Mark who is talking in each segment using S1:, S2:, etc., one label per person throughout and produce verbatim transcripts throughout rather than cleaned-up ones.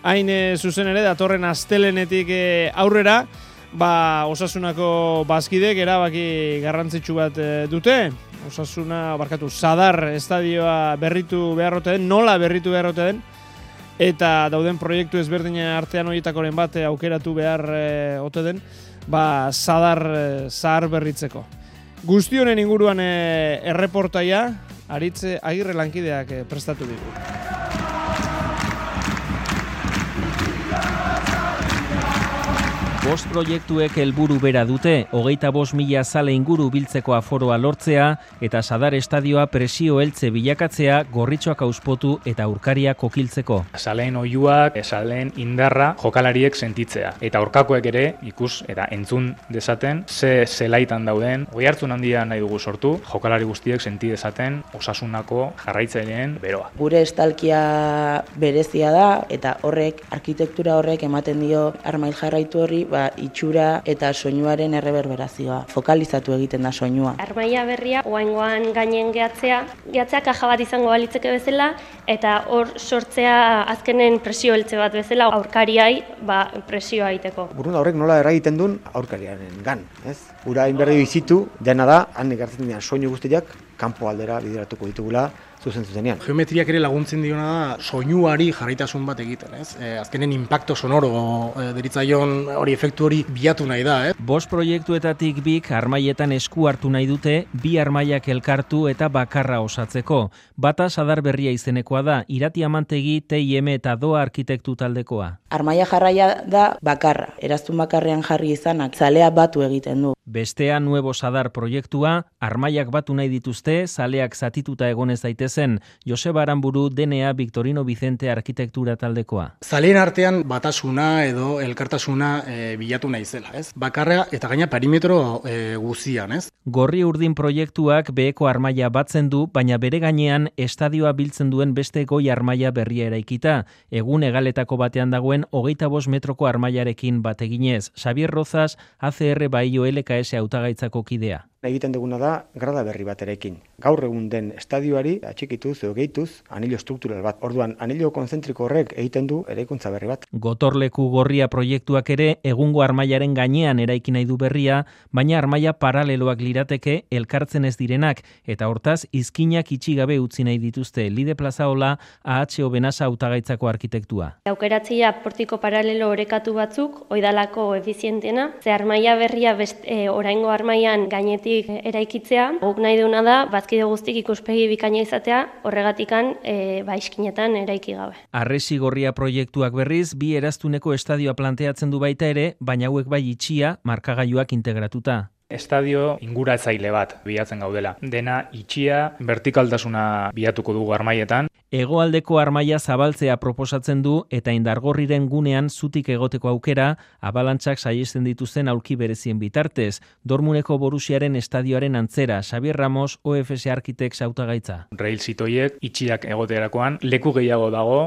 S1: hain e, zuzen ere, datorren astelenetik e, aurrera, ba, Osasunako bazkidek erabaki garrantzitsu bat e, dute. Osasuna, barkatu, Sadar estadioa berritu beharrote den, nola berritu beharrote den, eta dauden proiektu ezberdina artean horietakoren bat aukeratu behar e, ote den, ba, Sadar e, zahar berritzeko. Guzti honen inguruan e, erreportaia, Aritz Agirre lankideak e, prestatu digu.
S2: Bost proiektuek helburu bera dute, hogeita bost mila zale inguru biltzeko aforoa lortzea eta Sadar estadioa presio heltze bilakatzea gorritxoak auspotu eta aurkariak kokiltzeko.
S3: Zaleen oihuak, zaleen indarra jokalariek sentitzea. Eta aurkakoek ere ikus eta entzun dezaten ze zelaitan dauden, oihartzun handia nahi dugu sortu, jokalari guztiek senti dezaten Osasunako jarraitzaileen beroa.
S4: Gure estalkia berezia da eta horrek, arkitektura horrek ematen dio armail jarraitu horri, ba, itxura eta soinuaren erreberberazioa. Fokalizatu egiten da soinua.
S5: Armaia berria oraingoan gainen gehatzea, gehatzea kaja bat izango balitzeke bezala eta hor sortzea azkenen presio heltze bat bezala aurkariai ba, presioa egiteko.
S6: Burunda horrek nola eragiten duen aurkariaren gan, ez? Ura inberdi bizitu, dena da, han ekartzen dian soinu guztiak, kanpo aldera bideratuko ditugula, zuzen zuzenean.
S7: Geometriak ere laguntzen diona da soinuari jarraitasun bat egiten, ez? E, azkenen impacto sonoro e, deritzaion hori efektu hori bilatu nahi da, ez?
S2: Bost proiektuetatik bik armaietan esku hartu nahi dute, bi armaiak elkartu eta bakarra osatzeko. Bata Sadar berria izenekoa da, Irati Amantegi, T I M eta Doa arkitektu taldekoa.
S4: Armaia jarraia da bakarra, eraztun bakarrean jarri izanak, zalea batu egiten du.
S2: Bestea Nuevo Sadar proiektua, armaiak batu nahi dituzte, zaleak zatituta egonez daitezen, Joseba Aranburu, D N A Victorino Vicente arkitektura taldekoa.
S7: Zaleen artean batasuna edo elkartasuna e, bilatu nahi zela, ez? Bakarra eta gaina perimetro e, guzian, ez?
S2: Gorri urdin proiektuak beheko armaia batzen du, baina bere gainean estadioa biltzen duen beste goi armaia berria eraikita, egun egaletako batean dagoen hogeita bost metroko armaiarekin bateginez. Xavier Rozas, A C R Baio L K S hautagaitzako kidea.
S6: Egiten duguna da grada berri baterekin. Gaur egun den estadioari atxikituz edo gehituz anillo estruktural bat. Orduan, anillo konzentriko horrek egiten du eraikuntza berri bat.
S2: Gotorleku gorria proiektuak ere egungo armailaren gainean eraiki nahi du berria, baina armaia paraleloak lirateke elkartzen ez direnak eta hortaz izkinak itxi gabe utzi nahi dituzte. Lide Plazaola, A H O Benasa hautagaitzako arkitektua.
S5: Aukeratzea portiko paralelo orekatu batzuk, oidalako efizientena, ze armaia berria best, e, oraingo armaian gainetik eraikitzea, guk nahi duna da, bazkide guztik ikuspegi bikaina izatea, horregatikan e, ba, iskinetan eraiki gabe.
S2: Arresi gorria proiektuak berriz, bi eraztuneko estadioa planteatzen du baita ere, baina hauek bai itxia, markagailuak integratuta.
S3: Estadio inguratzaile bat bilatzen gaudela. Dena itxia, vertikaltasuna bilatuko dugu armaietan.
S2: Hegoaldeko armaia zabaltzea proposatzen du eta indargorriren gunean zutik egoteko aukera, abalantzak saiesten dituzten aulki berezien bitartez. Dormuneko Borusiaren estadioaren antzera, Xavier Ramos, O F S Architects hautagaitza.
S3: Rail zitoiek itxiak egoterakoan leku gehiago dago,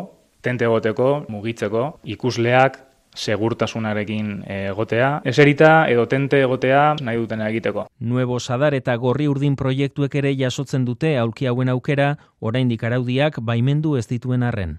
S3: tente egoteko, mugitzeko, ikusleak segurtasunarekin egotea, eserita edo tente egotea nahi dutena egiteko.
S2: Nuevo Sadar eta Gorri Urdin proiektuek ere jasotzen dute aulki hauen aukera, oraindik araudiak baimendu ez dituen arren.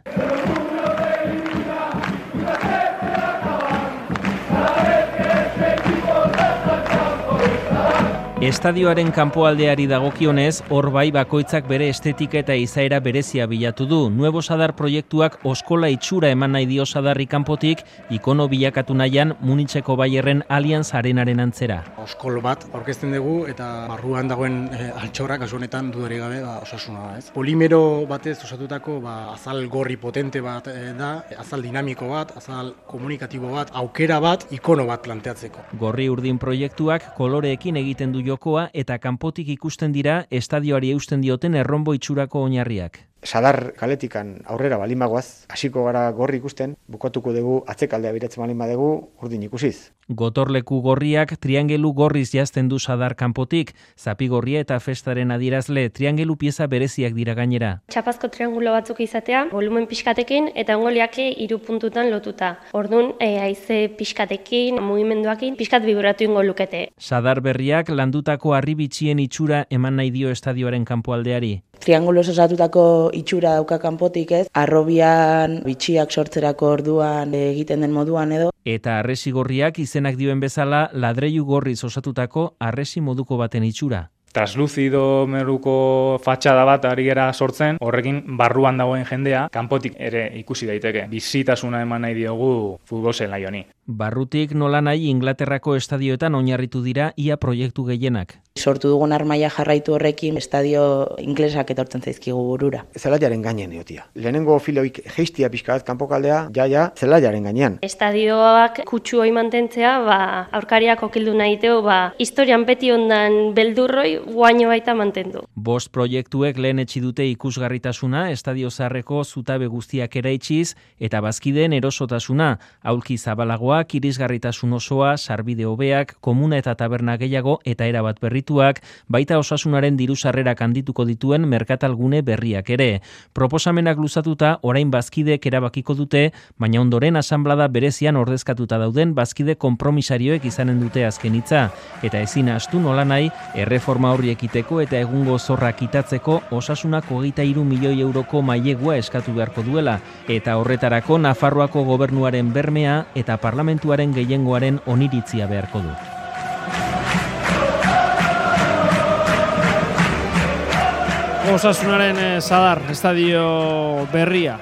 S2: Estadioaren kanpoaldeari dagokionez, hor bai bakoitzak bere estetika eta izaera berezia bilatu du. Nuevo Sadar proiektuak oskola itxura eman nahi dio Sadarri kanpotik, ikono bilakatu nahian Munitzeko Bayerren Allianz Arenaren antzera.
S7: Oskol bat aurkezten dugu eta barruan dagoen e, altxorra, kasu honetan dudari gabe ba, Osasuna da, ez? Polimero batez osatutako ba, azal gorri potente bat e, da, azal dinamiko bat, azal komunikatibo bat, aukera bat, ikono bat planteatzeko.
S2: Gorri Urdin proiektuak koloreekin egiten du jokoa eta kanpotik ikusten dira estadioari eusten dioten erronbo itxurako oinarriak.
S6: Sadar kaletikan aurrera balin bagoaz, hasiko gara gorri ikusten, bukatuko dugu atzekaldea biratzen balin badegu urdin ikusiz.
S2: Gotorleku gorriak triangelu gorriz jazten du Sadar kanpotik, zapigorria eta festaren adierazle triangelu pieza bereziak dira gainera.
S5: Txapazko triangulo batzuk izatea, volumen pixkatekin eta ongoliake hiru puntutan lotuta. Ordun e, haize pixkatekin, mugimenduakin, pixkat vibratu ingo lukete.
S2: Sadar berriak landutako harribitxien itxura eman nahi dio estadioaren kanpoaldeari.
S4: trianguloz osatutako itxura dauka kanpotik ez, arrobian bitxiak sortzerako orduan egiten den moduan edo.
S2: Eta harresi gorriak izenak dioen bezala ladreilu gorriz osatutako harresi moduko baten itxura.
S3: Transluzido meruko fatxada bat ari gara sortzen, horrekin barruan dagoen jendea, kanpotik ere ikusi daiteke. Bizitasuna eman nahi diogu futbol zelai honi.
S2: Barrutik nola nahi Inglaterrako estadioetan oinarritu dira ia proiektu gehienak.
S4: Sortu dugun armaia jarraitu horrekin estadio inglesak etortzen zaizkigu burura.
S6: Zelaiaren gainean egotia. Lehenengo filoik geistia pixka bat kanpokaldea, jaia zelaiaren gainean.
S5: Estadioak kutsu hoi mantentzea, ba, aurkariak okildu nahi teo, ba, historian beti ondan beldurroi guaino baita mantendu.
S2: Bost proiektuek lehen etxi dute ikusgarritasuna, estadio zaharreko zutabe guztiak eraitsiz, eta bazkideen erosotasuna, aulki zabalagoak, irisgarritasun osoa, sarbide hobeak, komuna eta taberna gehiago eta erabat berrituak, baita osasunaren diru sarrerak handituko dituen merkatalgune berriak ere. Proposamenak luzatuta, orain bazkideek erabakiko dute, baina ondoren asanblada berezian ordezkatuta dauden bazkide konpromisarioek izanen dute azken hitza, eta ezin ahaztu nola nahi, erreforma horri ekiteko eta egungo zorra kitatzeko osasunako hogeita hiru milioi euroko mailegua eskatu beharko duela, eta horretarako Nafarroako gobernuaren bermea eta parlamentuaren gehiengoaren oniritzia beharko du.
S1: Osasunaren Zadar estadio berria